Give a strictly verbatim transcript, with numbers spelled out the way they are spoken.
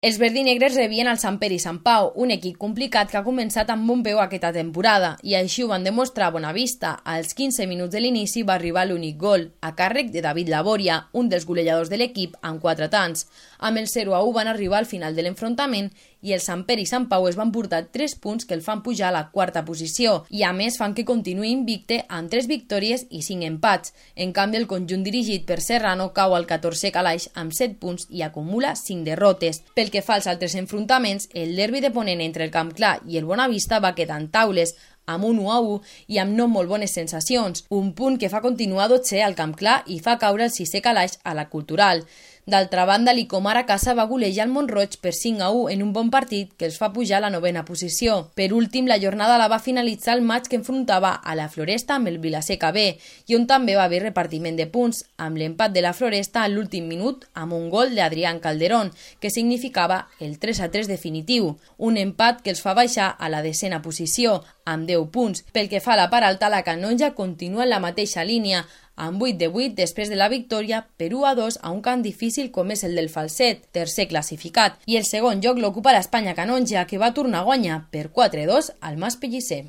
Els verdinegres rebien el Sant Pere i Sant Pau, un equip complicat que ha començat amb bon peu aquesta temporada, i així ho van demostrar a Bonavista. Als quinze minuts de l'inici va arribar l'únic gol, a càrrec de David Laboria, un dels golejadors de l'equip, amb quatre tants. Amb el zero a u van arribar al final de l'enfrontament i el Sant Pere i Sant Pau es van portar tres punts que el fan pujar a la quarta posició i a més fan que continuï invicte amb tres victòries i cinc empats. En canvi, el conjunt dirigit per Serrano cau al catorzè calaix amb set punts i acumula cinc derrotes. Pel que fa als altres enfrontaments, el derbi de Ponent entre el Camp Clar i el Bonavista va quedar en taules, amb un u a u i amb no molt bones sensacions, un punt que fa continuar dotzè al Camp Clar i fa caure el sisè calaix a la Cultural. D'altra banda, l'Icomar a casa va golejar el Mont-roig per cinc a u en un bon partit que els fa pujar a la novena posició. Per últim, la jornada la va finalitzar el maig que enfrontava a la Floresta amb el Vilaseca B i on també va haver repartiment de punts, amb l'empat de la Floresta a l'últim minut amb un gol d'Adrián Calderón, que significava el tres a tres definitiu. Un empat que els fa baixar a la desena posició, amb deu punts. Pel que fa a la part alta, la Canonja continua en la mateixa línia, amb vuit de vuit després de la victòria per u a dos a un camp difícil com és el del Falset, tercer classificat, i el segon lloc l'ocupa l'Espanya Canonja, que va tornar a guanyar per quatre a dos al Mas Pellicer.